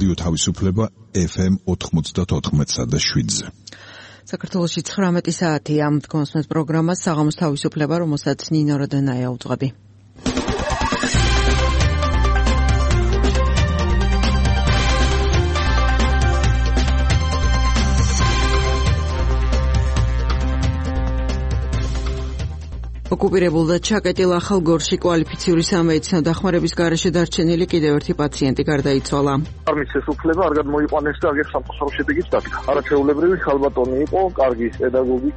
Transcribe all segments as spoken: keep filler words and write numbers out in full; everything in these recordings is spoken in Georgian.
რადიო თავისუფლება ეფ ემ ოთხმოცდაოთხ და შვიდზე. საქართველოში ცხრამეტი საათია. გონსმენთ პროგრამას საღამოს თავისუფლება, რომელსაც ნინო როდენაია უძღვები. ოკუპირებულ და ჩაკეტილ ახალგორში კვალიფიციური სამედიცინო დახმარების გარეშე დარჩენილი კიდევ ერთი პაციენტი გარდაიცვალა. არმის უფლება არ გამოიყვანეს და აგერ სამწუხარო შედეგიც დადგა. არაჩვეულებრივი ხალბატონი იყო, კარგი პედაგოგი.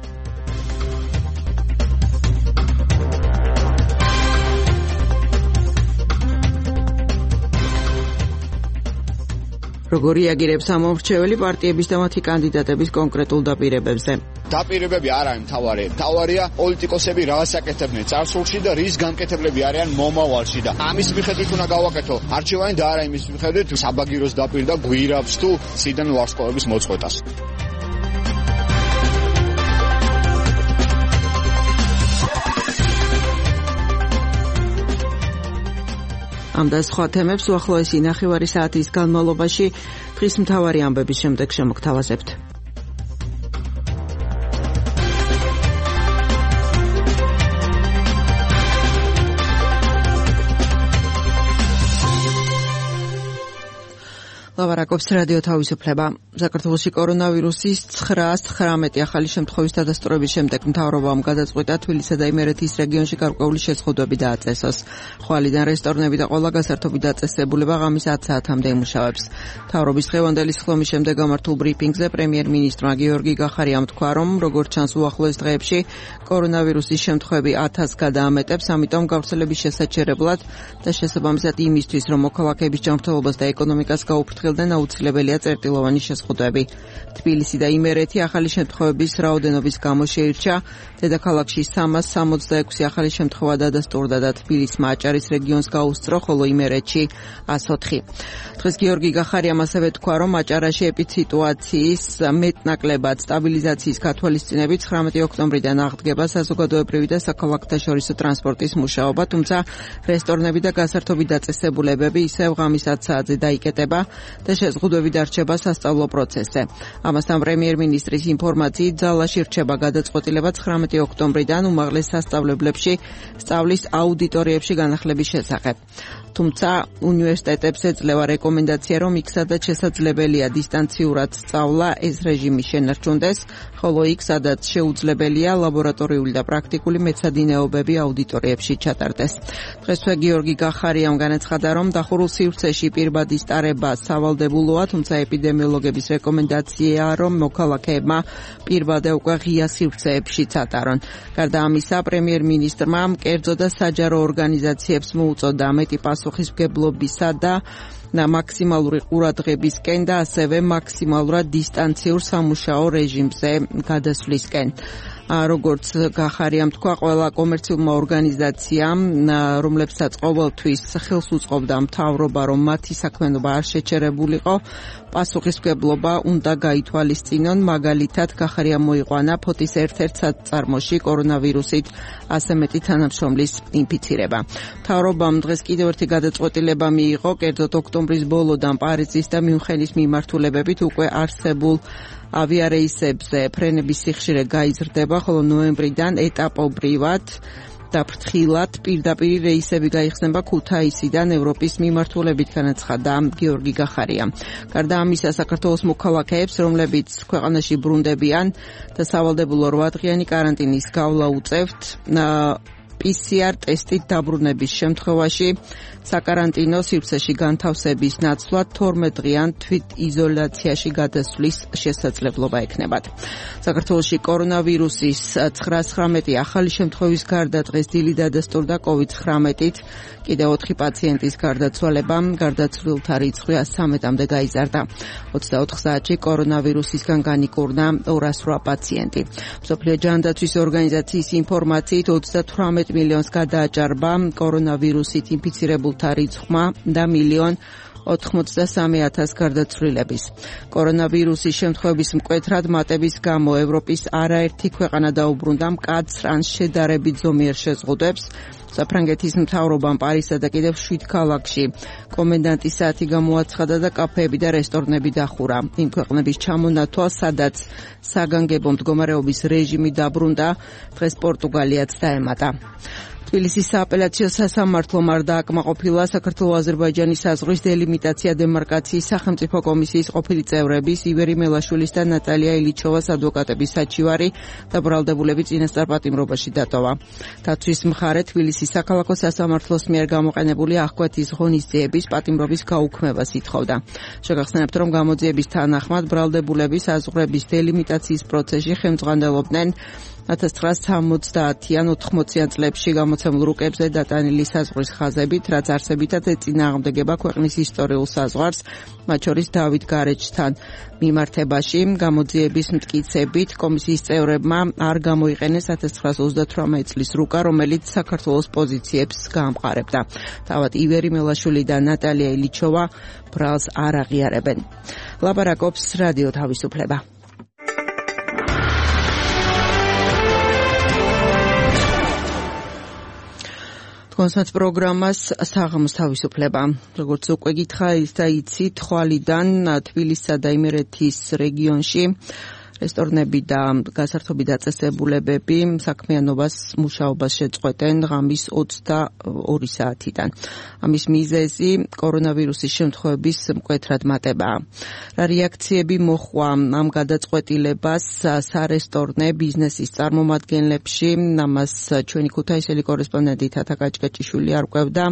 როგორი აგირებს ამომრჩეველი პარტიების და მათი კანდიდატების კონკრეტულ დაპირებებზე. დაპირებები არ არის მთავარი. მთავარია პოლიტიკოსები რას აკეთებდნენ წარსულში და რის განკეთებლები არიან მომავალში და ამის მიხედვით უნდა გავაკეთო არჩევანი და არა იმის მიხედვით საბაგიროს დაპირდა გვირაბს თუ სიდან ვარსკვლავების მოწყვეტას. ამ და სხვა თემებს უახლოესი ნახევარი საათის განმავლობაში დღის მთავარი ამბების შემდეგ შემოგთავაზებთ. ლავარაკობს რადიო თავისუფლება. საქართველოში კორონავირუსის ცხრაას ცხრამეტი ახალი შემთხვევის დადასტურების შემდეგ მთავრობამ გადაწყვიტა თბილისსა და იმერეთის რეგიონში გარკვეული შეზღუდვები დააწესოს. ხვალიდან რესტორნები და ყველა გასართობი დაწესებულება ღამის ათ საათამდე იმუშავებს. მთავრობის დღევანდელი სხდომის შემდეგ გამართულ ბრიფინგზე პრემიერ-მინისტრმა გიორგი გახარიამ თქვა, რომ როგორც ჩანს უახლოეს დღეებში კორონავირუსის შემთხვევები ათას გადაამეტებს, ამიტომ გავრცელების შესაჩერებლად და შესაბამისად იმისთვის, რომ მოქალაქეების ჯანმრთელობას და ეკონომიკას გაუფრთხილდნენ, აუცილებელია წერტილოვანი შეზღუდვები. თბილისი და იმერეთი ახალი შემთხვევების რაოდენობის გამო შეირჩა. დედაქალაქში სამას სამოცდაექვსი ახალი შემთხვევა დადასტურდა და თბილისმა აჭარის რეგიონს გაუსწრო, ხოლო იმერეთში ასოთხი. დღეს გიორგი გახარიამ ასევე თქვა, რომ აჭარაში ეპიდემიологიის მეტნაკლებად სტაბილიზაციის გათვალისწინებით ცხრამეტი ოქტომბრიდან აღდგება საზოგადოებრივი და საქალაქთაშორისო ტრანსპორტის მუშაობა, თუმცა რესტორნები და გასართობი დაწესებულებები ისევ ღამის ათ საათზე დაიკეტება და შეზღუდვები დარჩება სასწავლო პროცესზე. ამასთან პრემიერ-მინისტრის ინფორმაციით ძალაში რჩება გადაწყვეტილება ცხრამეტი ოქტომბრიდან უმაღლეს სასწავლებლებში სწავლის აუდიტორიებში განახლების შესახებ. თუმცა უნივერსიტეტებს ეძლევა რეკომენდაცია, რომ იქ სადაც შესაძლებელია დისტანციურად სწავლა, ეს რეჟიმი შენარჩუნდეს, ხოლო იქ სადაც შეუძლებელია ლაბორატორიული და პრაქტიკული მეცადინეობები აუდიტორიებში ჩატარდეს. დღესვე გიორგი გახარიამ განაცხადა, რომ დახურულ სივრცეში პირბადის ტარება სავალდებულოა, თუმცა ეპიდემიოლოგების რეკომენდაციაა, რომ მოქალაქეებმა პირბადე უკვე ღია სივრცეებშიც ატარონ. გარდა ამისა, პრემიერ-მინისტრმა კერძო და საჯარო ორგანიზაციებს მოუწოდა მეტი პასუხისმგებლობისა და მაქსიმალური ყურადღებისკენ და ასევე მაქსიმალურად დისტანციურ სამუშაო რეჟიმზე გადასვლისკენ. როგორც გახარიამ თქვა, ყველა კომერციულმა ორგანიზაციამ, რომლებსაც ყოველთვის ხელს უწყობდა მთავრობა, რომ მათი საქმიანობა არ შეჩერებულიყო, პასუხისმგებლობა უნდა გაითვალისწინონ. მაგალითად, გახარიამ მოიყვანა ფოთის ერთ-ერთ საწარმოში კორონავირუსით ასე მეტი თანამშრომლის ინფიცირება. მთავრობამ დღეს კიდევ ერთი გადაწყვეტილება მიიღო, კერძოდ ოქტომბრის ბოლოდან პარიზის და მიუნხენის მიმართულებებით უკვე არსებულ ავიარეისებზე ფრენების სიხშირე გაიზრდება, ხოლო ნოემბრიდან ეტაპობრივად და ფრთხილად პირდაპირ რეისები გაიხსნება ქუთაისიდან ევროპის მიმართულებით, განაცხადა გიორგი გახარიამ. გარდა ამისა, საქართველოს მოქალაქეებს, რომლებიც ქვეყანაში ბრუნდებიან და სავალდებულო რვადღიანი კარანტინის გავლა უწევთ, პი სი არ ტესტით დაბრუნების შემთხვევაში საკარანტინო სივრცეში განთავსების ნაცვლად თორმეტ-დღიან თვითიზოლაციაში გადასვლის შესაძლებლობა ექნებათ. საქართველოში კორონავირუსის ცხრაასცხრამეტი ახალი შემთხვევის გარდა დღეს დილით დადასტურდა კოვიდ ცხრამეტით კიდევ ოთხი პაციენტის გარდაცვალებამ, გარდაცვლილთა რიცხვი სამეთამდე გაიზარდა. ოცდაოთხ საათში კორონავირუსისგან განიკურნა ორას რვა პაციენტი. მსოფლიო ჯანდაცვის ორგანიზაციის ინფორმაციით ოცდათვრამეტ მილიონს გადააჭარბა კორონავირუსით ინფიცირებულთა რიცხვმა და მილიონ ოთხმოცდასამი ათასი გარდაცვლილების. კორონავირუსის შემთხვევების მკვეთრად მატების გამო ევროპის არაერთი ქვეყანა დაუბრუნდა მკაცრ ან შედარებით ზომიერ შეზღუდვებს. საფრანგეთის მთავრობამ პარიზსა და კიდევ შვიდ ქალაქში კომენდანტის საათი გამოაცხადა და კაფეები და რესტორნები დახურა. იმ ქვეყნების ჩამონათვალ, სადაც საგანგებო მდგომარეობის რეჟიმი დაბრუნდა, დღეს პორტუგალიაც დაემატა. თბილისის სააპელაციო სასამართლომ არ დააკმაყოფილა საქართველო-აზერბაიჯანის საზღვრის დელიმიტაცია დემარკაციის სახელმწიფო კომისიის ყოფილი წევრების ივერი მელაშვილის და ნატალია ილიჩოვას ადვოკატების საჩივარი და ბრალდებულები წინასწარ პატიმრობაში დატოვა. დაცვის მხარე თბილისის საქალაქო სასამართლოს მიერ გამოყენებული აღკვეთის ღონისძიების პატიმრობის გაუქმებას ითხოვდა. შეგახსენებთ, რომ გამოძიების თანახმად ბრალდებულები საზღვრების დელიმიტაციის პროცესში ხელმძღვანელობდნენ ათას ცხრაასი სამოცდაათიან ოთხმოციან წლებში გამოცემულ რუკებზე დატანილი საზღვრის ხაზებით, რაც არსებითად ეწინააღმდეგება ქვეყნის ისტორიულ საზღვარს, მათ შორის დავით გარეჯთან მიმართებაში. გამოძიების მტკიცებით კომისიის წევრებმა არ გამოიყენეს ათას ცხრაასი ოცდათვრამეტი წლის რუკა, რომელიც საქართველოს პოზიციებს გაამყარებდა. თავად ივერი მელაშვილი და ნატალია ილიჩოვა ბრალს არ აღიარებენ. ლაპარაკობს რადიო თავისუფლება. კონსერტ პროგრამას საღამოს თავისუფლება. როგორც უკვე გითხარით და იცით, თვალიდან თბილისსა და იმერეთის რეგიონში რესტორნები და გასართობი დაწესებულებები საქმიანობას მუშაობას შეწყვეტენ ღამის ოცდაორი საათიდან. ამის მიზეზი კორონავირუსის შემთხვევების მკვეთრად მატებაა. რა რეაქციები მოჰყვა ამ გადაწყვეტილებას სარესტორნე ბიზნესის წარმომადგენლებში? ამას ჩვენი ქუთაისელი კორესპონდენტი თათა კაჭკაჭიშვილი არკვევდა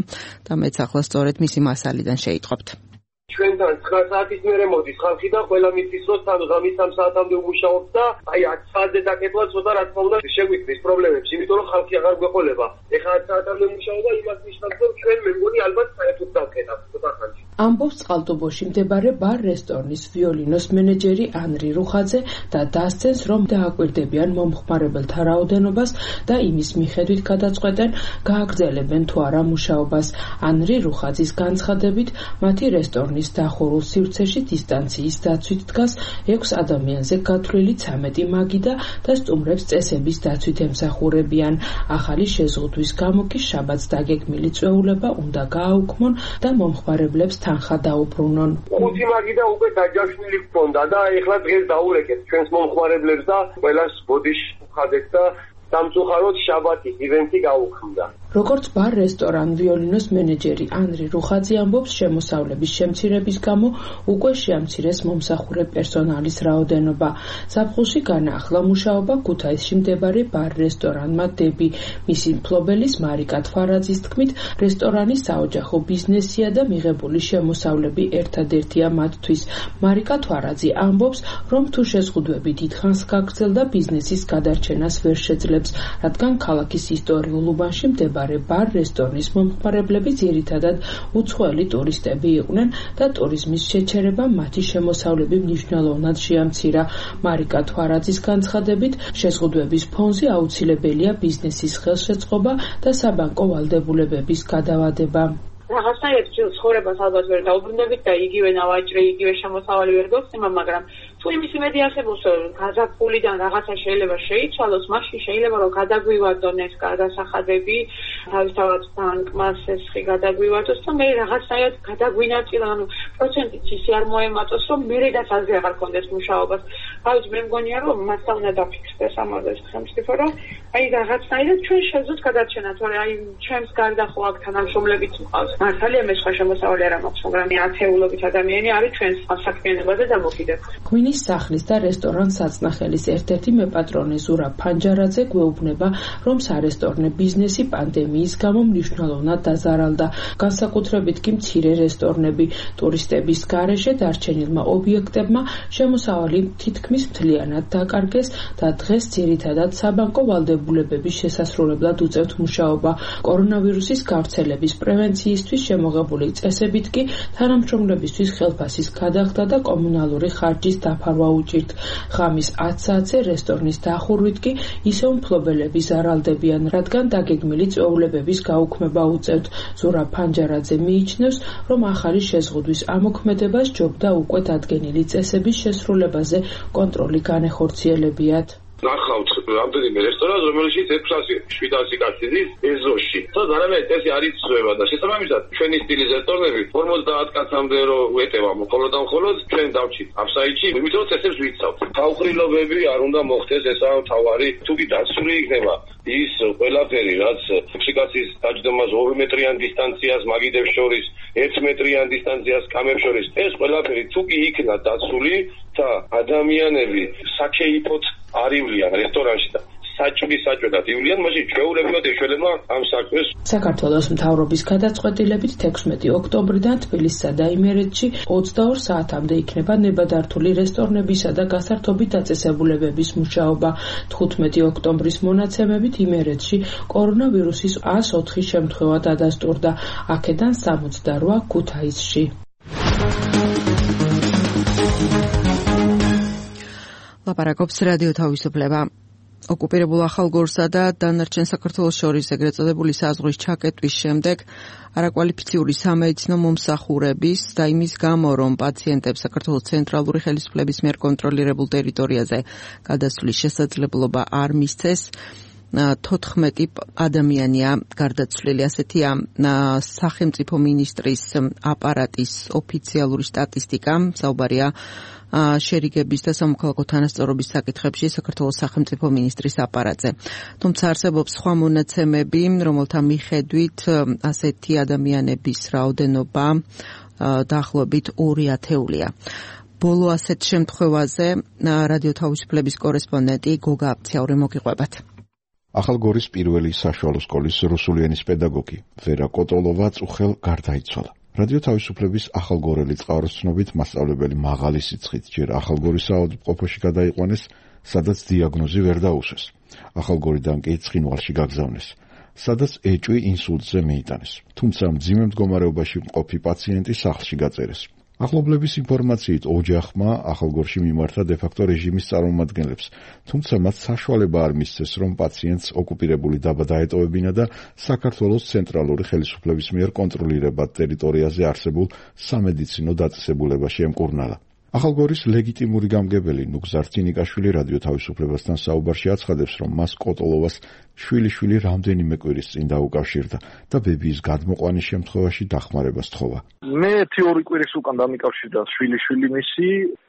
და მეც ახლა სწორედ მისი მასალიდან შეიტყობთ. ჩვენთან ცხრა საათის მერე მოდის ხალხი და ყველა მისთვის რომ თან ღამის სამ საათამდე უმუშაობს და აი ათ საათზე დაკეტვა ცოტა რა თქმა უნდა შეგვიქმნის პრობლემებს, იმიტომ რომ ხალხი აღარ გვეყოლება. ეხლა ათ საათამდე მუშაობა იმას ნიშნავს, რომ ჩვენ მე მგონი ალბათ საერთოდ დავკეტავთ ცოტა ხანში. ამბობს წყალტუბოში მდებარე ბარ-რესტორნის ვიოლინოს მენეჯერი ანრი რუხაძე და დასცენს, რომ დააკვირდებიან მომხმარებელთა რაოდენობას და იმის მიხედვით გადაწყვეტენ, გააგრძელებენ თუ არა მუშაობას. ანრი რუხაძის განცხადებით, მათი რესტორნის დახურულ სივრცეში დისტანციის დაცვით დგას ექვს ადამიანზე გათვლილი ცამეტი მაგიდა და სტუმრებს წესების დაცვით ემსახურებიან. ახალი შეზღუდვის გამო კი შაბათს დაგეგმილი წვეულება უნდა გააუქმონ და მომხმარებლებს თანხა დაუბრუნონ. ხუთი მაგიდა უკვე დაჯავშნილი ჰქონდა და ეხლა დღეს დაურეკეთ ჩვენს მომხმარებლებს და ყველას ბოდიშ უხადეთ და სამწუხაროდ შაბათის ივენთი გაუქმდა. როგორც ბარ-რესტორან ვიოლინოს მენეჯერი ანრი რუხაძე ამბობს, შემოსავლების შემცირების გამო უკვე შეამცირეს მომსახურე პერსონალის რაოდენობა. ზაფხულში განაახლა მუშაობა ქუთაისში მდებარე ბარ-რესტორანმა დები. მისი მფლობელის მარიკა თვარაძის თქმით, რესტორანი საოჯახო ბიზნესია და მიღებული შემოსავლები ერთადერთია მათთვის. მარიკა თვარაძე ამბობს, რომ თუ შეზღუდვები დიდხანს გაგრძელდა, ბიზნესის გადარჩენას ვერ შეძლებს, რადგან ქალაქის ისტორიულ უბანში მდებარე ბარ-რესტორნის მომხმარებლები ძირითადად უცხოელი ტურისტები იყვნენ და ტურიზმის შეჩერება მათი შემოსავლები მნიშვნელოვნად შეამცირა. მარიკა თვარაძის განცხადებით, შეზღუდვების ფონზე აუცილებელია ბიზნესის ხელშეწყობა და საბანკო ვალდებულებების გადავადება. რაღაცნაირად ცხოვრებას ალბათ ვერ დაუბრუნდებით და იგივე ნავაჭრე, იგივე შემოსავალი ვერ გოხსნება, მაგრამ თუ იმის იმედი არსებობს, რომ გაზაფხულიდან რაღაცა შეიძლება შეიცვალოს, მაშინ შეიძლება რომ გადაგვივარდონ ეს გადასახადები, თავისთავად ბანკმა სესხი გადაგვივარდოს და მე რაღაცნაირად გადაგვინაწილა, ანუ პროცენტიც ისე არ მოემატოს, რომ მერედაც აზრი აღარ კონდეს მუშაობას. თავის მე მგონია, რომ მასთან უნდა დაფიქსდეს ამაზე სახელმწიფო, რომ აი რაღაცნაირად ჩვენ შევძლოთ გადარჩენა, თორე აი ჩემს გარდა ხო აქ თანამშრომლებიც მყავს. მართალია მე სხვა შემოსავალი არ მაქვს, მაგრამ ათეულობით ადამიანი არის ჩვენს საქმიანობაზე დამოკიდებული. ღვინის სახლის და რესტორან საწნახელის ერთ-ერთი მეპატრონე ზურაბ ფანჯარაძე გვეუბნება, რომ სარესტორნე ბიზნესი პანდემიის გამო მნიშვნელოვნად დაზარალდა. განსაკუთრებით კი მცირე რესტორნები, ტურისტების გარეშე დარჩენილმა ობიექტებმა შემოსავალი თითქმის მთლიანად დაკარგეს და დღეს ძირითადად საბანკო ვალდებულებით დაწესებულებების შესასრულებლად უწევთ მუშაობა. კორონავირუსის გავრცელების პრევენციისთვის შემოღებული წესებით კი თანამშრომლებისთვის ხელფასის გადახდა და კომუნალური ხარჯის დაფარვა უჭირთ. ღამის ათ საათზე რესტორნის დახურვით კი ისევ მფლობელები ზარალდებიან, რადგან დაგეგმილი წვეულებების გაუქმება უწევთ. ზურა ფანჯარაძე მიიჩნევს, რომ ახალი შეზღუდვის ამოქმედება სჯობდა უკვე დადგენილი წესების შესრულებაზე კონტროლი განეხორციელებიათ. ნახავთ რამდენიმე რესტორანს, რომელშიც ექვსასი შვიდასი კაცი ზის ეზოში. თორე არამედ წესი არ იცვლება და შესაბამისად ჩვენი სტილის რესტორნები ორმოცდაათ კაცამდე რო ვეტევა, მხოლოდ და მხოლოდ ჩვენ დავჭით აფსაიდში, იმიტომ რომ წესებს ვიცავთ. თავყრილობები არ უნდა მოხდეს, ესაა მთავარი. თუ კი დაცული იქნება ის ყველაფერი, რაც ექვსი დაჯდომას ორი მეტრიან დისტანციას მაგიდებს შორის, ერთი მეტრიან დისტანციას კამებს შორის, ეს ყველაფერი თუ კი იქნა დაცული და ადამიანები საქეიფოთ არ ივლიან რესტორანში და საჭმის საჭმელად ივლიან, მაშინ ჩვეულებრივად ეშველება ამ საქმეს. საქართველოს მთავრობის გადაწყვეტილებით თექვსმეტი ოქტომბრიდან თბილისსა და იმერეთში ოცდაორ საათამდე იქნება ნებადართული რესტორნებისა და გასართობი დაწესებულებების მუშაობა. თხუთმეტი ოქტომბრის მონაცემებით იმერეთში კორონავირუსის ას ოთხი შემთხვევა დადასტურდა, აქედან სამოცდარვა ქუთაისში. ლაპარაკობს რადიო თავისუფლება. ოკუპირებულ ახალგორსა და დანარჩენ საქართველოს შორის ეგრეთ წოდებული საზღვრის ჩაკეტვის შემდეგ არაკვალიფიციური სამედიცინო მომსახურების და იმის გამო, რომ პაციენტებს საქართველოს ცენტრალური ხელისუფლების მიერ კონტროლირებულ ტერიტორიაზე გადასვლის შესაძლებლობა არ მისცეს, თოთხმეტი ადამიანია გარდაცვლილი. ასეთია სახელმწიფო მინისტრის აპარატის ოფიციალური სტატისტიკა. საუბარია შერიგების და სამოქალაქო თანასწორობის საკითხებში საქართველოს სახელმწიფო მინისტრის აპარატზე. თუმცა არსებობს სხვა მონაცემები, რომელთა მიხედვით ასეთი ადამიანების რაოდენობა დაახლოებით ორი ათეულია. ბოლო ასეთ შემთხვევაზე რადიო თავისუფლების კორესპონდენტი გოგა აფციური მოგიყვებათ. ახალგორის პირველი საშუალო სკოლის რუსული ენის პედაგოგი ვერა კოტოლოვა წუხელ გარდაიცვალა. რადიო თავისუფლების ახალგორელი წყაროს ცნობით მასწავლებელი მაღალი სიცხით ჯერ ახალგორის საავადმყოფოში გადაიყვანეს, სადაც დიაგნოზი ვერ დაუსვეს. ახალგორიდან კი ცხინვალში გაგზავნეს, სადაც ეჭვი ინსულტზე მიიტანეს. თუმცა მძიმე მდგომარეობაში მყოფი პაციენტი სახლში გაწერეს. ახლობლების ინფორმაციით ოჯახმა ახალგორში მიმართა დე-ფაქტო რეჟიმის წარმომადგენლებს, თუმცა მათ საშუალება არ მისცეს, რომ პაციენტს ოკუპირებული დაბა დაეტოვებინა და საქართველოს ცენტრალური ხელისუფლების მიერ კონტროლირებად ტერიტორიაზე არსებულ სამედიცინო დაწესებულებაში ემკურნალა. ახალგორის ლეგიტიმური გამგებელი ნუგზარ ცინიკაშვილი რადიო თავისუფლებასთან საუბარში აცხადებს, რომ მას კოტოლოვას შვილიშვილი რამდენიმე კვირის წინ დაუკავშირდა და ბებიის გადმოყვანის შემთხვევაში დახმარება სთხოვა. მე ერთი ორი კვირის უკან დამიკავშირდა შვილიშვილი მისი,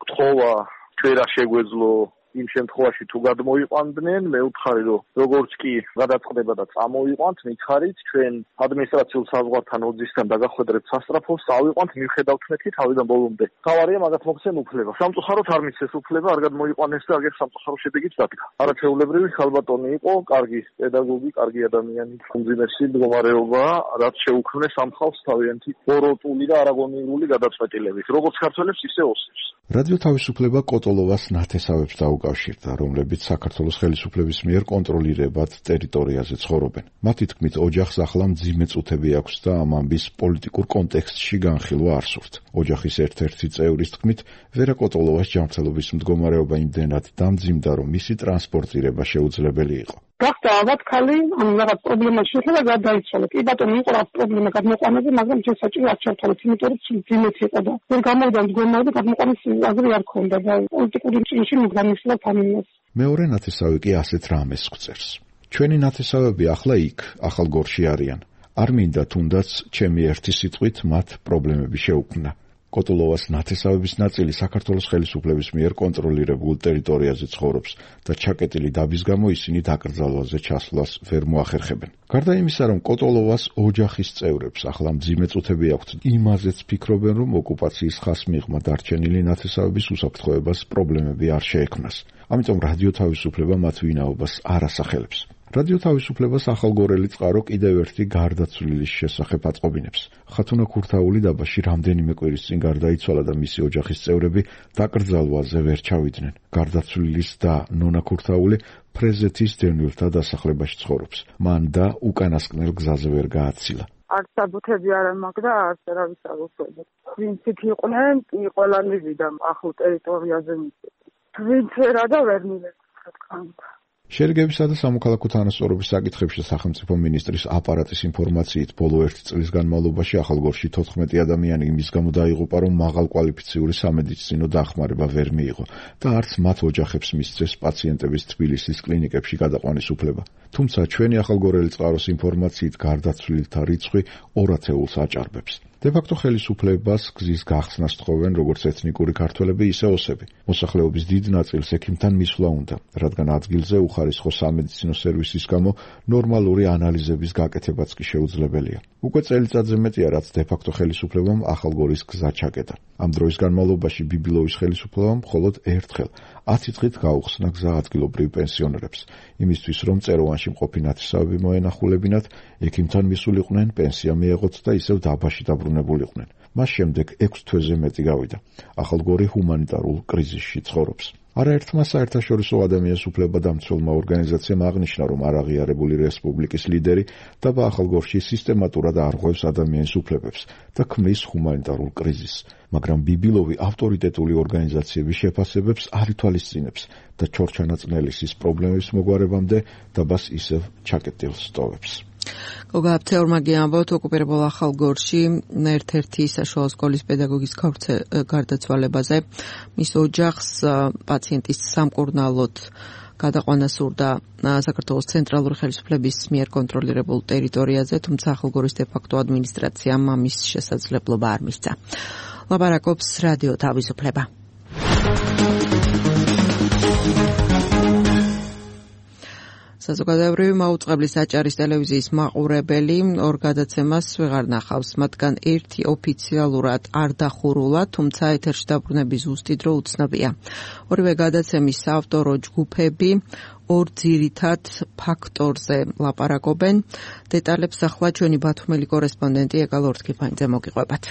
თხოვა ჩვენ რა შეგვეძლო იმ შემთხვევაში თუ გადმოიყვანდნენ, მე ვთხარი, რომ როგორც კი გადაწყდება და წამოიყვანთ, მითხარით, ჩვენ ადმინისტრაციულ საზღვართან ოძისგან დაგახვედრებთ სასტრაფოს, წავიყვანთ, მივხედავთ მეთქი თავიდან ბოლომდე. თავარია მაგათ მოხსენ უფლება. სამწუხაროდ არ მისცეს უფლება, არ გადმოიყვანეს და აგერ სამწუხარო შედეგიც დადგა. არაჩვეულებრივი ხალბატონი იყო, კარგი პედაგოგი, კარგი ადამიანი, უმძიმესი მდგომარეობა, რაც შეუქმნეს ამ ხალხს თავიანთი ბოროტული და არაგონიურული გადაწყვეტილებით, როგორც ქართველებს, ისე ოსებს. რადიო თავისუფლება კოტოლოვას ნათესავებს დაუკავშირდა, რომლებიც საქართველოს ხელისუფლების მიერ კონტროლირებად ტერიტორიაზე ცხოვრობენ. მათი თქმით, ოჯახს ახლა მძიმე წუთები აქვს და ამ ამბის პოლიტიკურ კონტექსტში განხილვა არ სურთ. ოჯახის ერთ-ერთი წევრის თქმით, ვერა კოტოლოვას ჯანმრთელობის მდგომარეობა იმდენად დამძიმდა, რომ მისი ტრანსპორტირება შეუძლებელი იყო. გახდა ალბათ ხალი ამ რაღაც პრობლემაში შეხვდა და გადაიცვალა. კი ბატონო, იყო რა პრობლემა გადმოყვანაზე, მაგრამ ჩვენ საჭირო არ ჩავთვალეთ, იმიტომ რომ ძიმეთი იყო და ვერ გამოვიდა მდგომარეობა, გადმოყვანის აზრი არ ქონდა და პოლიტიკური წინში მიგამისლა თამინეს. მეორე ნათესავი კი ასეთ რამეს გვწერს. ჩვენი ნათესავები ახლა იქ, ახალგორში არიან. არ მინდა თუნდაც ჩემი ერთი სიტყვით მათ პრობლემები შეუქმნა. კოტოლოვას ნათესავების ნაწილი საქართველოს ხელისუფლების მიერ კონტროლირებულ ტერიტორიაზე ცხოვრობს და ჩაკეტილი დაბის გამო ისინი დაკრძალვაზე ჩასვლას ვერ მოახერხებენ. გარდა იმისა, რომ კოტოლოვას ოჯახის წევრებს ახლა მძიმე წუთები აქვთ, იმაზეც ფიქრობენ, რომ ოკუპაციის ხას მიღმა დარჩენილი ნათესავების უსაფრთხოებას პრობლემები არ შეექმნას. ამიტომ რადიო თავისუფლება მათ ვინაობას არ ასახელებს. რადიო თავისუფლებას ახალგორელი წყარო კიდევ ერთი გარდაცვლილის შესახებ აწყობინებს. ხათუნა ქურთაული დაბაში რამდენიმე კვირის წინ გარდაიცვალა და მისი ოჯახის წევრები დაკრძალვაზე ვერ ჩავიდნენ. გარდაცვლილის და ნონა ქურთაული ფრეზეთის დევნილთა დასახლებაში ცხოვრობს. მან და უკანასკნელ გზაზე ვერ გააცილა. არც საბუთები არ მაქვს და არც არავის არ ვუშვებდი. ვინც იქ იყვნენ, კი ყველანი ვიდა ახლო ტერიტორიაზე მიწები. ვინც ვერა და ვერ მივეცი, რა თქმა უნდა. შერიგებისა და სამოქალაქო თანასწორობის საკითხებში სახელმწიფო მინისტრის აპარატის ინფორმაციით ბოლო ერთი წლის განმავლობაში ახალგორში თოთხმეტი ადამიანი იმის გამო დაიღუპა, რომ მაღალკვალიფიციური სამედიცინო დახმარება ვერ მიიღო და არც მათ ოჯახებს მისცეს პაციენტების თბილისის კლინიკებში გადაყვანის უფლება. თუმცა ჩვენი ახალგორელი წყაროს ინფორმაციით გარდაცვლილთა რიცხვი ორ ათეულს აჭარბებს. დე-ფაქტო ხელისუფლებას გზის გახსნას თხოვენ როგორც ეთნიკური ქართველები, ისე ოსები. მოსახლეობის დიდ ნაწილს ექიმთან მისვლა უნდა, რადგან ადგილზე უხარისხო სამედიცინო სერვისის გამო ნორმალური ანალიზების გაკეთებაც კი შეუძლებელია. უკვე წელიწადზე მეტია, რაც დე-ფაქტო ხელისუფლებამ ახალგორის გზა ჩაკეტა. ამ დროის განმავლობაში ბიბილოვის ხელისუფლებამ მხოლოდ ერთხელ ათი დღით გაუხსნა გზა ადგილობრივ პენსიონერებს, იმისთვის რომ წეროვანში მყოფი ნათესავები მოენახულებინათ, ექიმთან მისულიყვნენ, პენსია მიეღოთ და ისევ დაბაში დაბრუნებულიყვნენ. მას შემდეგ ექვს თვეზე მეტი გავიდა. ახალგორი ჰუმანიტარულ კრიზისში ცხოვრობს. არაერთმა საერთაშორისო ადამიანის უფლება დამცველმა ორგანიზაციამ აღნიშნა, რომ არაღიარებული რესპუბლიკის ლიდერი დაბა ახალგორში სისტემატურად არღვევს ადამიანის უფლებებს და ქმნის ჰუმანიტარულ კრიზისს, მაგრამ ბიბილოვი ავტორიტეტული ორგანიზაციების შეფასებებს არ ითვალისწინებს და ჩორჩანაწნელისის პრობლემების მოგვარებამდე დაბას ისევ ჩაკეტილს ტოვებს. გოგააფცეურმაგი ამბობთ, ოკუპირებულ ახალგორში ერთ-ერთი საშუალო სკოლის პედაგოგის გარდაცვალებაზე მის ოჯახს პაციენტის სამკურნალოდ გადაყვანა სურდა საქართველოს ცენტრალური ხელისუფლების მიერ კონტროლირებულ ტერიტორიაზე, თუმცა ახალგორის დე-ფაქტო ადმინისტრაციამ ამის შესაძლებლობა არ მისცა. ლაპარაკობს რადიო თავისუფლება. საზოგადოებრივი მაუწყებლის აჭარის ტელევიზიის მაყურებელი ორ გადაცემას ვეღარ ნახავს, მათგან ერთი ოფიციალურად არ დახურულა, თუმცა ეთერში დაბრუნების ზუსტი დრო უცნობია. ორივე გადაცემის საავტორო ჯგუფები ორ ძირითად ფაქტორზე ლაპარაკობენ. დეტალებს ახლა ჩვენი ბათუმელი კორესპონდენტი ეკალ ორთქიფანიძე მოგიყვებათ.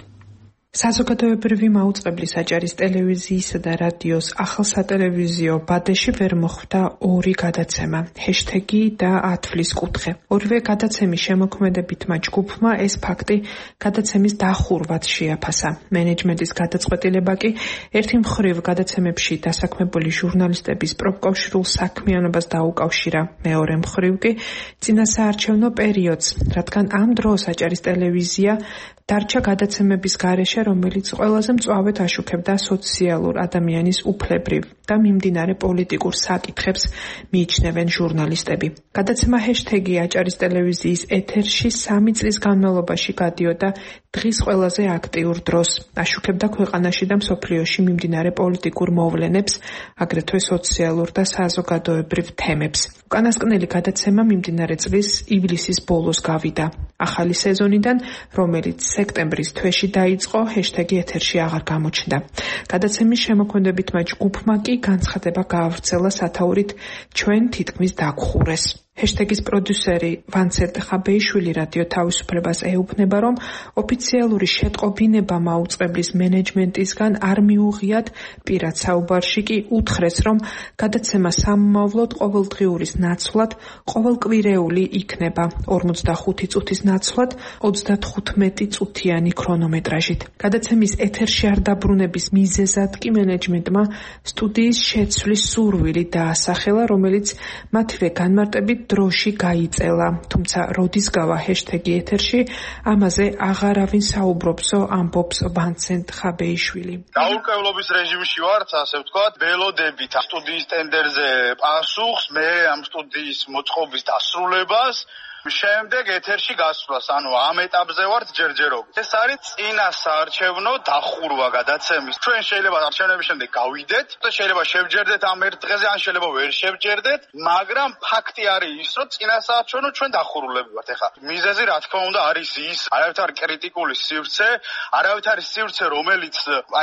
საზოგადოებრივი მაუწყებლის აჭარის ტელევიზიისა და რადიოს ახალ სატელევიზიო ბადეში ვერ მოხვდა ორი გადაცემა, ჰეშტეგი და ათვლის კუთხე. ორივე გადაცემის შემოქმედებითმა ჯგუფმა ეს ფაქტი გადაცემის დახურვად შეაფასა. მენეჯმენტის გადაწყვეტილება კი ერთი მხრივ გადაცემებში დასაქმებული ჟურნალისტების პროფკავშირულ საქმიანობას დაუკავშირა, მეორე მხრივ კი წინასაარჩევნო პერიოდს, რადგან ამ დროს აჭარის ტელევიზია დარჩა გადაცემების გარეშე, რომელიც ყველაზე მწვავედ აშუქებდა სოციალურ ადამიანის უფლებრივ და მიმდინარე პოლიტიკურ საკითხებს მიიჩნევენ ჟურნალისტები. გადაცემა ჰეშტეგი აჭარის ტელევიზიის ეთერში სამი წლის განმავლობაში გადიოდა დღის ყველაზე აქტიურ დროს, აშუქებდა ქვეყანაში და მსოფლიოში მიმდინარე პოლიტიკურ მოვლენებს, აგრეთვე სოციალურ და საზოგადოებრივ თემებს. უკანასკნელი გადაცემა მიმდინარე წლის ივლისის ბოლოს გავიდა. ახალი სეზონიდან, რომელიც სექტემბრის თვეში დაიწყო, ჰეშტეგი ეთერში აღარ გამოჩნდა. გადაცემის შემოქმედებითმა ჯგუფმა კი განცხადება გაავრცელა სათაურით ჩვენ თითქმის დაგხურეს. ჰეშტეგის პროდიუსერი ვანცერტ ხაბეიშვილი რადიო თავისუფლებას ეუბნება, რომ ოფიციალური შეტყობინება მაუწყებლის მენეჯმენტისგან არ მიუღიათ, პირად საუბარში კი უთხრეს, რომ გადაცემა სამომავლოდ ყოველდღიურის ნაცვლად ყოველკვირეული იქნება ორმოცდახუთი წუთის ნაცვლად ოცდათხუთმეტი წუთიანი ქრონომეტრაჟით. გადაცემის ეთერში არ დაბრუნების მიზეზად კი მენეჯმენტმა სტუდიის შეცვლის სურვილი დაასახელა, რომელიც მათივე განმარტებით დროში გაიწელა, თუმცა როდის გავა ჰეშტეგი ეთერში, ამაზე აღარავინ საუბრობსო, ამბობს ვანცერტ ხაბეიშვილი. დაურკევლობის რეჟიმში ვართ, ასე ვთქვათ, ველოდებით სტუდიის ტენდერზე პასუხს, მე ამ სტუდიის მოწყობის დასრულებას შემდეგ ეთერში გასვლას, ანუ ამ ეტაპზე ვართ ჯერჯერობით. ეს არის წინა საარჩევნო დახურვა გადაცემის. ჩვენ შეიძლება არჩევნების შემდეგ გავიდეთ და შეიძლება შევჯერდეთ ამ ერთ დღეზე, ან შეიძლება ვერ შევჯერდეთ, მაგრამ ფაქტი არის ის, რომ წინა საარჩევნო ჩვენ დახურულები ვართ. ეხლა მიზეზი რა თქმა უნდა არის ის, არავითარ კრიტიკული სივრცე, არავითარი სივრცე, რომელიც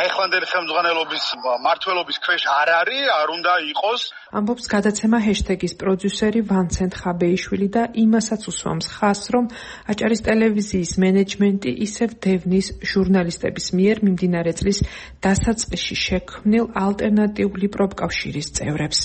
ახლანდელი ხელმძღვანელობის მმართველობის ქვეშ არ არის, არ უნდა იყოს. ამბობს გადაცემა ჰეშტეგის პროდიუსერი ვანცენტ ხაბეიშვილი და იმასაც უსვამს ხაზს, რომ აჭარის ტელევიზიის მენეჯმენტი ისევ დევნის ჟურნალისტების მიერ მიმდინარე წლის დასაწყისში შექმნილ ალტერნატიული პროფკავშირის წევრებს.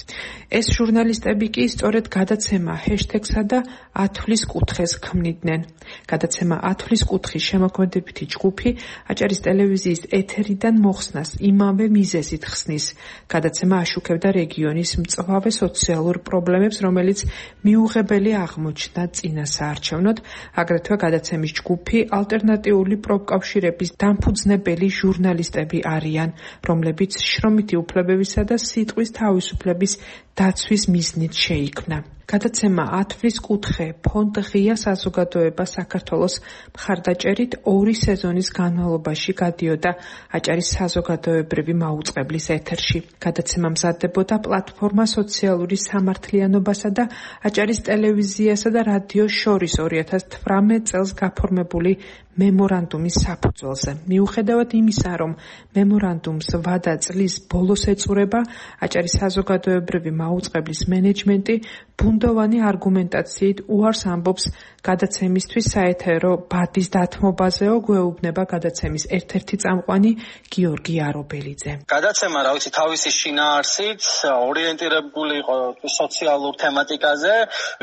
ეს ჟურნალისტები კი სწორედ გადაცემა ჰეშტეგსა და ათვლის კუთხეს ქმნიდნენ. გადაცემა ათვლის კუთხის შემოქმედებითი ჯგუფი აჭარის ტელევიზიის ეთერიდან მოხსნას იმავე მიზეზით ხსნის. გადაცემა აშუქებდა რეგიონის მწვავე სოციალურ პრობლემებს, რომელიც მიუღებელი აღმოჩნდა წინა საარჩევნოდ. აგრეთვე გადაცემის ჯგუფი ალტერნატიული პროფკავშირების დამფუძნებელი ჟურნალისტები არიან, რომლებიც შრომითი უფლებებისა და სიტყვის თავისუფლების დაცვის მიზნით შეიქმნა. გადაცემა ათვლის კუთხე ფონდ ღია საზოგადოება საქართველოს მხარდაჭერით ორი სეზონის განმავლობაში გადიოდა აჭარის საზოგადოებრივი მაუწყებლის ეთერში. გადაცემა მზადდებოდა პლატფორმა სოციალური სამართლიანობასა და აჭარის ტელევიზიასა და რადიოს შორის ორი ათას თვრამეტ წელს გაფორმებული მემორანდუმის საფუძველზე. მიუხედავად იმისა, რომ მემორანდუმს ვადა წლის ბოლოს ეწურება, აჭარის საზოგადოებრივი მაუწყებლის მენეჯმენტი ბუნდოვანი არგუმენტაციით უარს ამბობს გადაცემისთვის საეთერო ბადის დათმობაზეო, გვეუბნება გადაცემის ერთ-ერთი წამყვანი გიორგი არობელიძე. გადაცემა, რა ვიცი, თავისი შინაარსით ორიენტირებული იყო სოციალურ თემატიკაზე.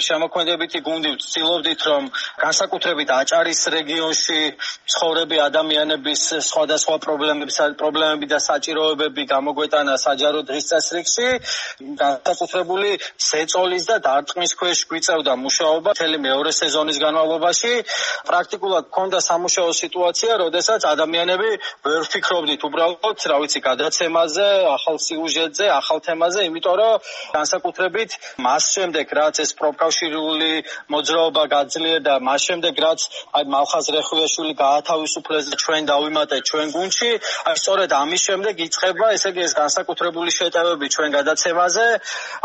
შემოქმედებითი გუნდი ვცდილობდით, რომ განსაკუთრებით აჭარის რეგიონში ცხოვრები ადამიანების სხვადასხვა პრობლემების პრობლემები და საჭიროებები გამოგვეტანა საჯარო დღის წესრიგში. განსაკუთრებული ზეწოლის და დარტყმის ქვეშ გვიწევდა მუშაობა მთელი მეორე სეზონის განმავლობაში. პრაქტიკულად ჰქონდა სამუშაო სიტუაცია, როდესაც ადამიანები ვერ ვფიქრობდით უბრალოდ, რა ვიცი, გადაცემაზე, ახალ სიუჟეტზე, ახალ თემაზე, იმიტომ რომ განსაკუთრებით მას შემდეგ, რაც ეს პროფკავშირული მოძრაობა გაძლიერდა, მას შემდეგ, რაც აი მალხაზ რეხუიაშვილი გაათავისუფლეს და ჩვენ დავიმატეთ ჩვენ გუნდში, აი სწორედ ამის შემდეგ იწყება, ესე იგი, ეს განსაკუთრებული შეტევები ჩვენ გადაცემაზე.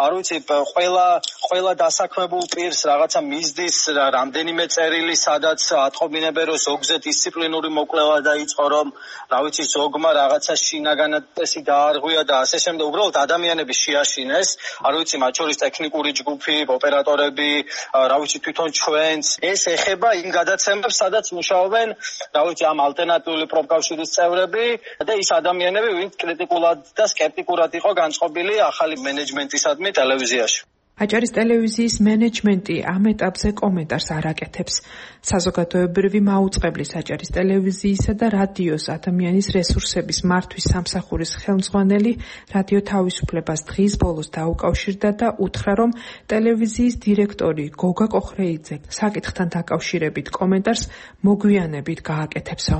არ ვიცი, ყველა ყველა დასაქმებულ პირს რაღაცა მიზდის რამდენიმე წერილი, სადაც ატყობინებენ, რომ ზოგზე დისციპლინური მოკვლევა დაიწყო, რომ რა ვიცი, ზოგმა რაღაცა შინაგანად წესი დაარღვია და ასე შემდეგ. უბრალოდ ადამიანები შეაშინეს, არ ვიცი, მათ შორის ტექნიკური ჯგუფი, ოპერატორები, რა ვიცი, თვითონ ჩვენც. ეს ეხება იმ გადაცემებს, სადაც მუშაობენ, რა ვიცი, ამ ალტერნატიული პროფკავშირის წევრები და ის ადამიანები, ვინც კრიტიკულად და სკეპტიკურად იყო განწყობილი ახალი მენეჯმენტისადმი ტელევიზიაში. აჭარის ტელევიზიის მენეჯმენტი ამ ეტაპზე კომენტარს არ აკეთებს. საზოგადოებრივი მაუწყებლის აჭარის ტელევიზიისა და რადიოს ადამიანის რესურსების მართვის სამსახურის ხელმძღვანელი რადიო თავისუფლებას დღის ბოლოს დაუკავშირდა და უთხრა, რომ ტელევიზიის დირექტორი გოგა კოხრეიძე საკითხთან დაკავშირებით კომენტარს მოგვიანებით გააკეთებსო.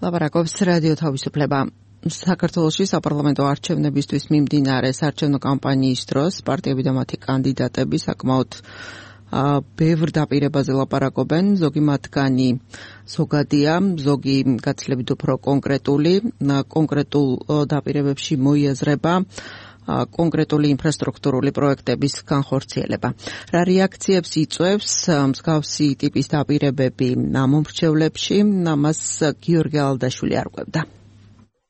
ლაპარაკობს რადიო თავისუფლება. საქართველოში საპარლამენტო არჩევნებისთვის მიმდინარე საარჩევნო კამპანიის დროს პარტიები და მათი კანდიდატები საკმაოდ ბევრ დაპირებაზე ლაპარაკობენ. ზოგი მათგანი ზოგადია, ზოგი გაცილებით უფრო კონკრეტული, კონკრეტულ დაპირებებში მოიაზრება კონკრეტული ინფრასტრუქტურული პროექტების განხორციელება. რა რეაქციებს იწვევს მსგავსი ტიპის დაპირებები ამომრჩევლებში, ამას გიორგი ალდაშვილი არკვევდა.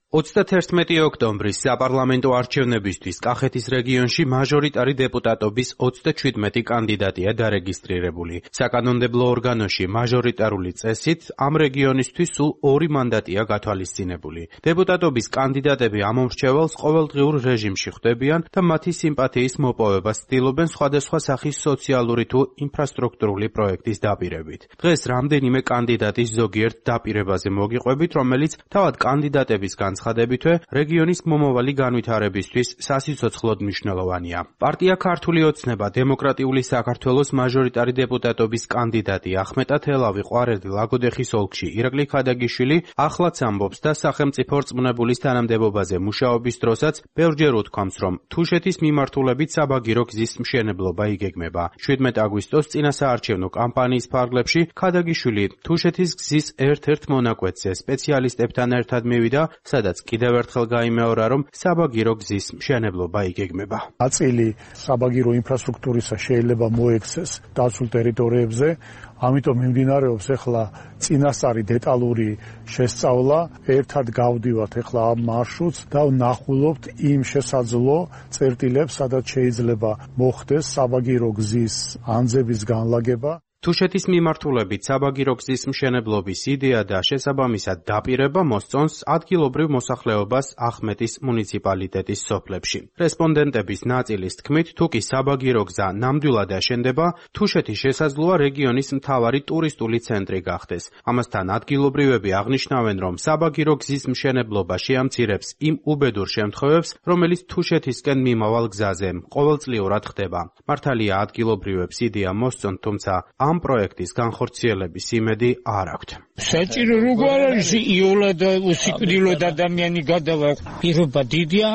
ოცდათერთმეტი ოქტომბრის საპარლამენტო არჩევნებისთვის კახეთის რეგიონში მაჟორიტარი დეპუტატობის ოცდაჩვიდმეტი კანდიდატია დარეგისტრირებული. საკანონმდებლო ორგანოში მაჟორიტარული წესით ამ რეგიონისთვის სულ ორი მანდატია გათვალისწინებული. დეპუტატობის კანდიდატები ამომრჩეველს ყოველდღიურ რეჟიმში ხვდებიან და მათი სიმპათიის მოპოვებას ცდილობენ სხვადასხვა სახის სოციალური თუ ინფრასტრუქტურული პროექტის დაპირებით. დღეს რამდენიმე კანდიდატის ზოგიერთ დაპირებაზე მოგიყვებით, რომელიც თავად კანდიდატებისგან განცხადებითვე რეგიონის მომავალი განვითარებისთვის სასიცოცხლოდ მნიშვნელოვანია. პარტია ქართული ოცნება დემოკრატიული საქართველოს მაჟორიტარი დეპუტატობის კანდიდატი ახმეტა თელავი ყვარელი ლაგოდეხის ოლქში ირაკლი ქადაგიშვილი ახლაც ამბობს და სახელმწიფო რწმუნებულის თანამდებობაზე მუშაობის დროსაც ბევრჯერ უთქვამს, რომ თუშეთის მიმართულებით საბაგირო გზის მშენებლობა იგეგმება. შვიდმეტ აგვისტოს წინასაარჩევნო კამპანიის ფარგლებში ქადაგიშვილი თუშეთის გზის ერთ-ერთ მონაკვეთზე სპეციალისტებთან ერთად მივიდა, სადაც კიდევ ერთხელ გაიმეორა, რომ საბაგირო გზის მშენებლობა იგეგმება. აწილი საბაგირო ინფრასტრუქტურისა შეიძლება მოექცეს დაცულ ტერიტორიებზე, ამიტომ მიმდინარეობს ახლა წინასწარი დეტალური შესწავლა, ერთად გავდივართ ახლა ამ მარშრუტს და ვნახულობთ იმ შესაძლო წერტილებს, სადაც შეიძლება მოხდეს საბაგირო გზის ანძების განლაგება. თუშეთის მიმართულებით საბაგირო გზის მშენებლობის იდეა და შესაბამისად დაპირება მოსწონს ადგილობრივ მოსახლეობას ახმეტის მუნიციპალიტეტის სოფლებში. რესპონდენტების ნაწილის თქმით, თუ კი საბაგირო გზა ნამდვილად აშენდება, თუშეთის შესაძლოა რეგიონის მთავარი ტურისტული ცენტრი გახდეს. ამასთან ადგილობრივები აღნიშნავენ, რომ საბაგირო გზის მშენებლობა შეამცირებს იმ უბედურ შემთხვევებს, რომელიც თუშეთისკენ მიმავალ გზაზე ყოველწლიურად ხდება. მართალია ადგილობრივებს იდეა მოსწონთ, თუმცა ამ პროექტის განხორციელების იმედი არ აქვთ. საჭირო როგორ არის იოლად უსიკვდილოდ ადამიანი გადავა, პირობა დიდია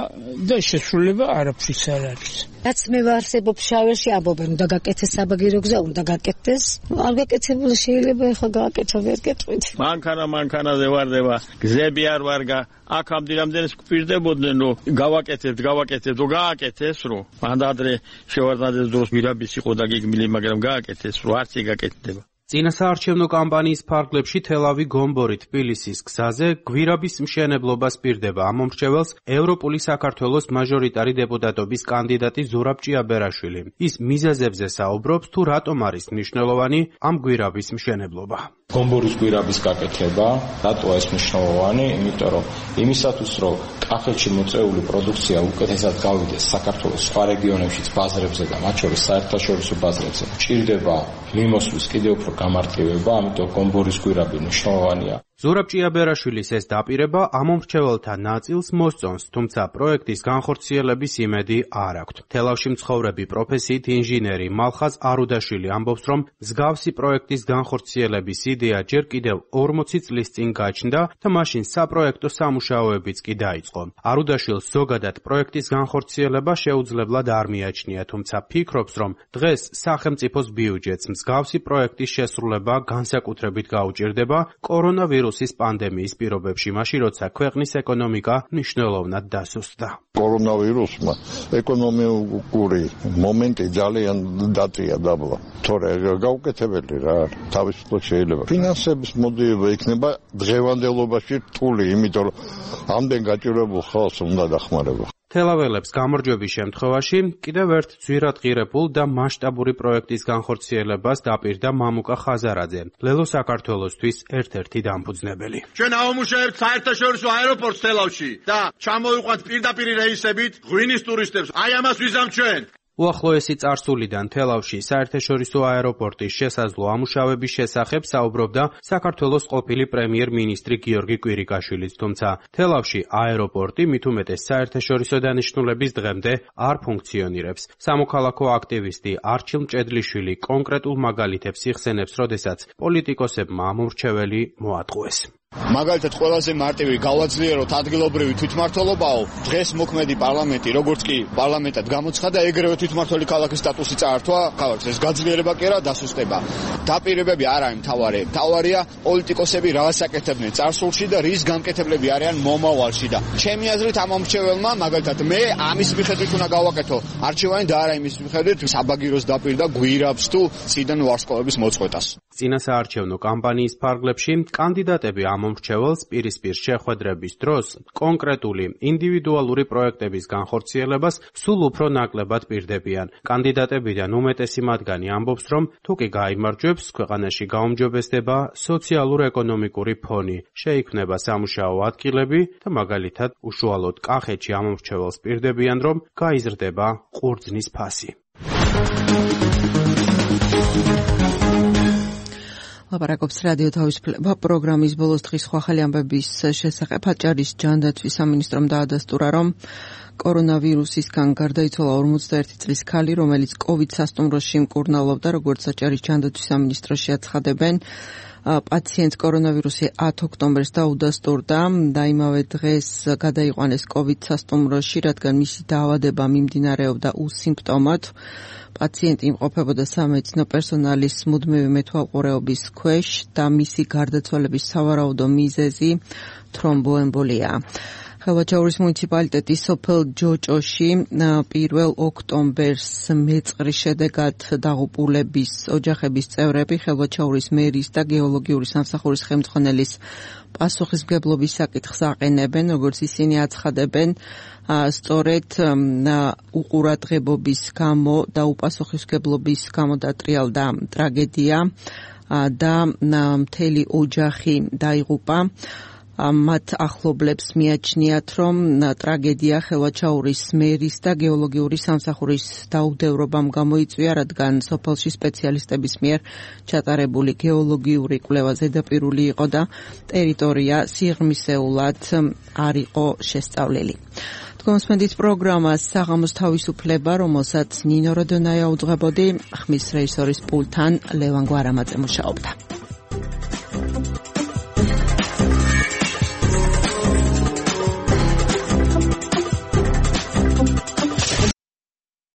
და შესრულება არაფრის არ არის. რაც მე ვარსებობ შავერში ამბობენ, უნდა გაკეთეს საბაგირო გზა, უნდა გაკეთდეს. არ გაკეთებული შეიძლება ახლა გააკეთო ვერ გეტყვით. მანქანა მანქანაზე ვარდება, გზები არ ვარგა. აქ ამდენამდე გვპირდებოდნენ, რომ გავაკეთებთ, გავაკეთებთ, რომ გააკეთეს, რომ მანდადრე შევარდნადეს დროს მირაბის იყო დაგეგმილი, მაგრამ გააკეთეს, რომ არც იგაკეთდება. წინასაარჩევნო კამპანიის ფარგლებში თელავი გომბორი თბილისის გზაზე გვირაბის მშენებლობას პირდება ამომრჩეველს ევროპული საქართველოს მაჟორიტარი დეპუტატობის კანდიდატი ზურაბ ჭიაბერაშვილი. ის მიზეზებზე საუბრობს, თუ რატომ არის მნიშვნელოვანი ამ გვირაბის მშენებლობა. გომბორის გვირაბის გაკეთება, რატო ეს მნიშვნელოვანი? იმიტომ რომ იმისათვის, რომ კახეთში მოწეული პროდუქცია უკეთესად გავიდეს საქართველოს სხვა რეგიონებშიც ბაზრებზე და მათ შორის საერთაშორისო ბაზრებზე, ჭირდება მიმოსვლის კიდევ უფრო გამარტივება, ამიტომ გომბორის გვირაბი მნიშვნელოვანია. ზურაბ ჭიაბერაშვილის ეს დაპირება ამომრჩეველთა ნაწილს მოსწონს, თუმცა პროექტის განხორციელების იმედი არ აქვთ. თელავში მცხოვრები პროფესიით ინჟინერი მალხაზ არუდაშვილი ამბობს, რომ მსგავსი პროექტის განხორციელების იდეა ჯერ კიდევ ორმოცი წლის წინ გაჩნდა და მაშინ საპროექტო სამუშაოებიც კი დაიწყო. არუდაშვილს ზოგადად პროექტის განხორციელება შეუძლებლად არ მიაჩნია, თუმცა ფიქრობს, რომ დღეს სახელმწიფოს ბიუჯეტს მსგავსი პროექტის შესრულება განსაკუთრებით გაუჭირდება კორონავირუსის პანდემიის პირობებში, მაშინ როცა ქვეყნის ეკონომიკა მნიშვნელოვნად დასუსტდა. კორონავირუსმა ეკონომიკური მომენტი ძალიან დაწია დაბლა. თორე გაუკეთებელი რა, თავისუფლად შეიძლება. ფინანსების მოდიება იქნება დღევანდელობაში რთული, იმიტომ რომ ამდენ გაჭირებულ ხალხს უნდა დახმარება. თელაველებს გამარჯვების შემთხვევაში კიდევ ერთ ძვირადღირებულ და მასშტაბური პროექტის განხორციელებას დაპირდა მამუკა ხაზარაძე, ლელო საქართველოსთვის ერთ-ერთი დამფუძნებელი. ჩვენ აუმუშავებთ საერთაშორისო აეროპორტს თელავში და ჩამოვიყვანთ პირდაპირ რეისებით ღვინის ტურისტებს. აი ამას ვიზამთ ჩვენ. უახლოესი წარსულიდან თელავში საერთაშორისო აეროპორტის შესაძლო ამუშავების შესახებ საუბრობდა საქართველოს ყოფილი პრემიერ-მინისტრი გიორგი კვირიკაშვილიც, თუმცა თელავში აეროპორტი მით უმეტეს საერთაშორისო დანიშნულების დღემდე არ ფუნქციონირებს. სამოქალაქო აქტივისტი არჩილ მჭედლიშვილი კონკრეტულ მაგალითებს იხსენებს, როდესაც პოლიტიკოსებმა ამომრჩეველი მოატყუეს. მაგალითად ყველაზე მარტივი გავაძლიეროთ ადგილობრივი თვითმმართველობაო, დღეს მოქმედი პარლამენტი როგორც კი პარლამენტად გამოცხადა, ეგრევე თვითმმართველი ქალაქის სტატუსი წაართვა ქალაქს. ეს გაძლიერება კი არა, დასუსტება. დაპირებები არ არის მთავარი. მთავარია პოლიტიკოსები რას აკეთებდნენ წარსულში და რის გამკეთებლები არიან მომავალში და ჩემი აზრით ამომრჩეველმა მაგალითად მე ამის მიხედვით უნდა გავაკეთო არჩევანი და არა იმის მიხედვით საბაგიროს დაპირდა გვირაბს თუ წიდან ვარსკვლავების მოწყვეტას. წინასაარჩევნო კამპანიის ფარგლებში კანდიდატები ამომრჩეველს პირისპირ შეხვედრების დროს კონკრეტული ინდივიდუალური პროექტების განხორციელებას სულ უფრო ნაკლებად პირდებიან. კანდიდატებიდან უმეტესი მათგანი ამბობს, რომ თუ კი გაიმარჯვებს, ქვეყანაში გაუმჯობესდება სოციალურ-ეკონომიკური ფონი, შეიქმნება სამუშაო ადგილები და მაგალითად უშუალოდ კახეთში ამომრჩეველს პირდებიან, რომ გაიზრდება ყურძნის ფასი. ლაპარაკობს რადიო თავისუფლება პროგრამის ბოლოს დღის სხვა ხელი ამბების შესახებ. აჭარის ჯანდაცვის სამინისტრომ დაადასტურა, რომ კორონავირუსისგან გარდაიცვალა ორმოცდაერთი წლის ქალი, რომელიც კოვიდ სასტუმროში მკურნალობდა, როგორც აჭარის ჯანდაცვის სამინისტროში აცხადებენ. პაციენტს კორონავირუსი ათი ოქტომბერს დაუდასტურდა და იმავე დღეს გადაიყვანეს კოვიდ სასტუმროში, რადგან მისი დაავადება მიმდინარეობდა უსიმპტომოდ. პაციენტი იმყოფებოდა სამედიცინო პერსონალის მუდმივი მეთვალყურეობის ქვეშ და მისი გარდაცვალების სავარაუდო მიზეზი თრომბოემბოლია. ხელვაჩაურის მუნიციპალიტეტის სოფელ ჯოჭოში პირველ ოქტომბერს მეწყრის შედეგად დაღუპულების ოჯახების წევრები ხელვაჩაურის მერის და გეოლოგიური სამსახურის ხელმძღვანელის პასუხისმგებლობის საკითხს აყენებენ, როგორც ისინი აცხადებენ, სწორედ უყურადღებობის გამო და უპასუხისმგებლობის გამო დატრიალდა ტრაგედია და მთელი ოჯახი დაიღუპა. მათ ახლობლებს მიაჩნიათ, რომ ტრაგედია ხელვაჩაურის მერის და გეოლოგიური სამსახურის დაუდევრობამ გამოიწვია, რადგან სოფელში სპეციალისტების მიერ ჩატარებული გეოლოგიური კვლევა ზედაპირული იყო და ტერიტორია სიღრმისეულად არ იყო შესწავლილი. თქვენს პროგრამას საღამოს თავისუფლება, რომელსაც ნინო როდონაია უძღვებოდი, ხმის რეჟისორის პულტთან ლევან გვარამაძე მუშაობდა.